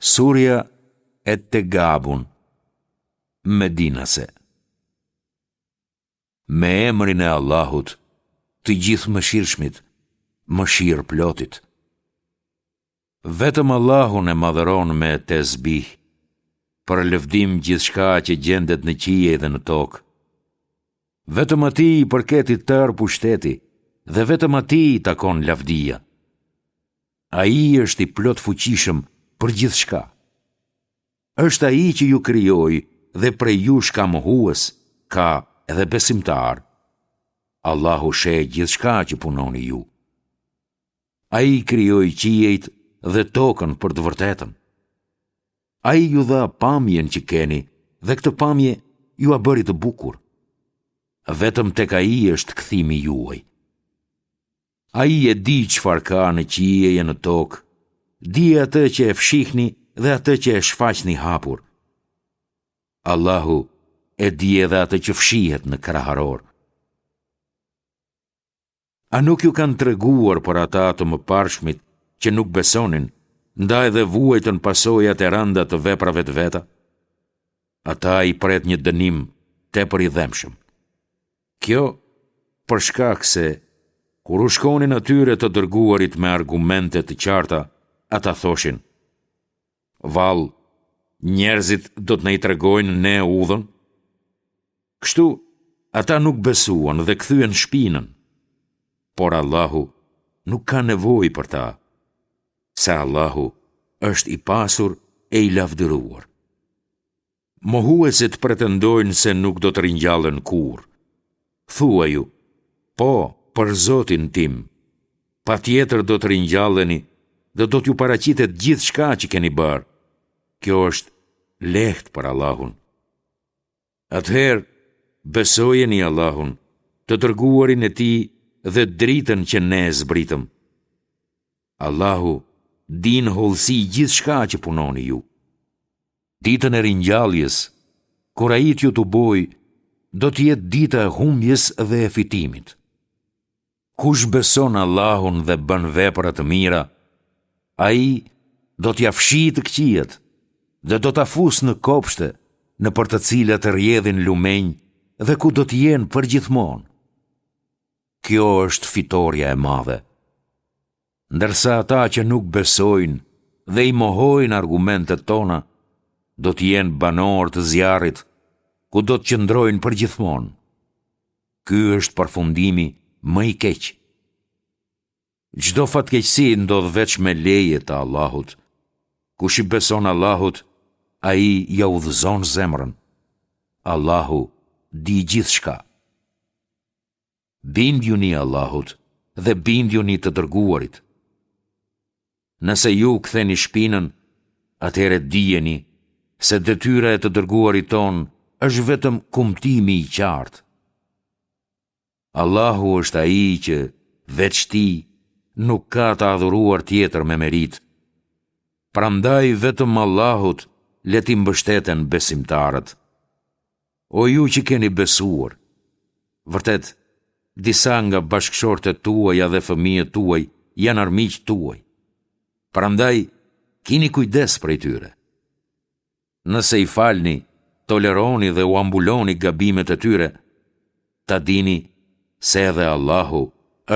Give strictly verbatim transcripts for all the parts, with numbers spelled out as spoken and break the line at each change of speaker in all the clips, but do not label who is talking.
Surja Et-Tegabun, Medinase. Me emrin e Allahut, të Gjithëmëshirshmit, mëshirëplotit. Vetëm Allahun e madhëron me tesbih, përlëvdim gjithçka që gjendet në qiej dhe në tokë. Vetëm atij i përket i tërë pushteti dhe vetëm atij i takon lavdia. Ai është i plotfuqishëm për gjithçka. Është Ai që ju krijoi dhe prej jush ka mohues, ka edhe besimtarë. Allahu sheh gjithçka që punoni ju. Ai krijoi qiejt dhe tokën për të vërtetën. Ai ju dha pamjen që keni dhe këtë pamje jua bëri të bukur. Vetëm tek Ai është kthimi juaj. Ai e di çfarë ka në qiej e në tokë, di atë që e fshihni dhe atë që e shfaqni hapur. Allahu e di edhe atë që fshihet në kraharor. A nuk ju kanë treguar për ata të mëparshmit që nuk besonin, ndaj dhe vuajtën pasojat e rënda të veprave të veta? Ata i pret një dënim tepër i dhembshëm. Kjo për shkak se kur u shkonin atyre të dërguarit me argumente të qarta, ata thoshin: Vallë, njerëzit do të na i tregojnë ne udhën? Kështu, ata nuk besuan dhe kthyen shpinën. Por Allahu nuk ka nevojë për ta, se Allahu është i pasur e i lavdëruar. Mohuesit pretendojnë se nuk do të ringjallen kurrë. Thuaju, po, për Zotin tim, patjetër do të ringjalleni dhe do t'ju paraqitet gjithçka që keni bërë. Kjo është lehtë për Allahun. Atëherë, besojeni Allahun, të dërguarin e Tij dhe dritën që ne zbritëm. Allahu di në hollësi gjithçka që punoni ju. Ditën e ringjalljes, kur Ai t'ju tubojë, do të jetë dita e humbjes dhe e fitimit. Kush beson Allahun dhe bën vepra të mira, ai do t'ia fshijë të këqijat dhe do ta fusë në kopshte, nëpër të cilat rrjedhin lumenj dhe ku do të jenë përgjithmonë. Kjo është fitorja e madhe. Ndërsa ata që nuk besojnë dhe i mohojnë argumentet tona, do të jenë banorë të zjarrit, ku do të qëndrojnë përgjithmonë. Ky është përfundimi më i keq. Çdo fatkeqësi ndodh veç me leje të Allahut. Kush i beson Allahut, ai ia udhëzon zemrën. Allahu di gjithçka. Bindjuni Allahut dhe bindjuni të dërguarit. Nëse ju ktheni shpinën, atëherë dijeni se detyra e të dërguarit tonë është vetëm kumtimi i qartë. Allahu është ai që, veç tij, nuk ka të adhuruar tjetër me meritë. Prandaj vetëm Allahut le t'i mbështeten besimtarët. O ju që keni besuar! Vërtet, disa nga bashkëshortet tuaja dhe fëmijët tuaj janë armiqtë tuaj. Prandaj, kini kujdes prej tyre. Nëse i falni, toleroni dhe ua mbuloni gabimet e tyre, ta dini se edhe Allahu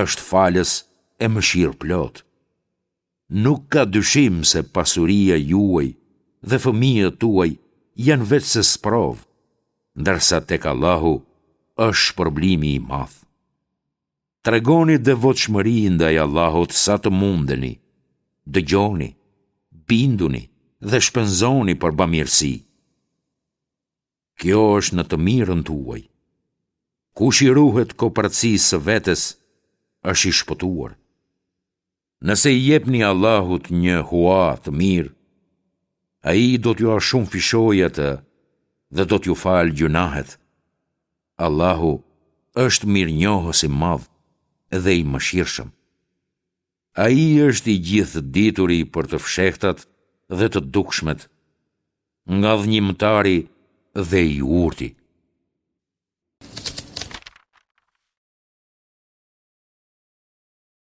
është falës e mëshirëplotë. Nuk ka dyshim se pasuria juaj dhe fëmijët tuaj janë veçse sprovë, ndërsa tek Allahu është shpërblimi i madh. Tregoni devotshmëri ndaj Allahut sa të mundeni, dëgjoni, binduni dhe shpenzoni për bamirësi. Kjo është në të mirën tuaj. Kush i ruhet koprracisë së vetes, është i shpëtuar. Nëse i jepni Allahut një hua të mirë, Ai do t'jua shumëfishojë atë dhe do t'ju falë gjynahet. Allahu është mirënjohës i madh dhe i mëshirshëm. Ai është i gjithëdituri për të fshehtat dhe të dukshmet, ngadhënjimtari dhe i urti.